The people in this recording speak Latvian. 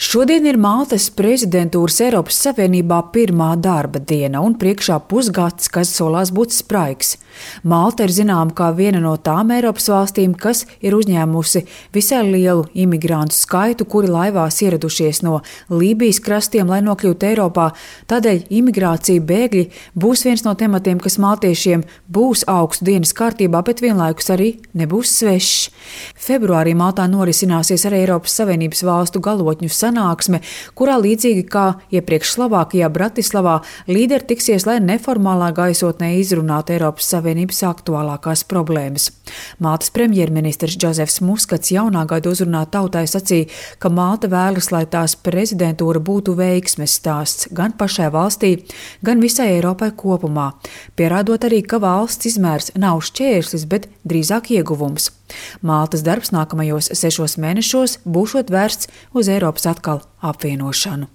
Šodien ir Maltas prezidentūras Eiropas Savienībā pirmā darba diena un priekšā pusgads, kas solās būt spraigs. Malta ir zināma kā viena no tām Eiropas valstīm, kas ir uzņēmusi visai lielu imigrantu skaitu, kuri laivās ieradušies no Lībijas krastiem, lai nokļūtu Eiropā. Tādēļ imigrācija, bēgļi būs viens no tematiem, kas maltiešiem būs augstu dienas kārtībā, bet vienlaikus arī nebūs svešs. Februārī Maltā norisināsies arī Eiropas Savienības valstu galotņu sanāksme, kurā līdzīgi kā iepriekš Slovākijā, Bratislavā, līderi tiksies, lai neformālā gaisotnē izrunātu Eiropas Savienības aktuālākās problēmas. Maltas premjerministrs Džozefs Muskats jaunā gada uzrunā tautai sacīja, ka Malta vēlas, lai tās prezidentūra būtu veiksmes stāsts gan pašai valstī, gan visai Eiropai kopumā, pierādot arī, ka valsts izmērs nav šķērslis, bet drīzāk ieguvums. Maltas darbs nākamajos 6 mēnešos būšot vērsts uz Eiropas atkal apvienošanu.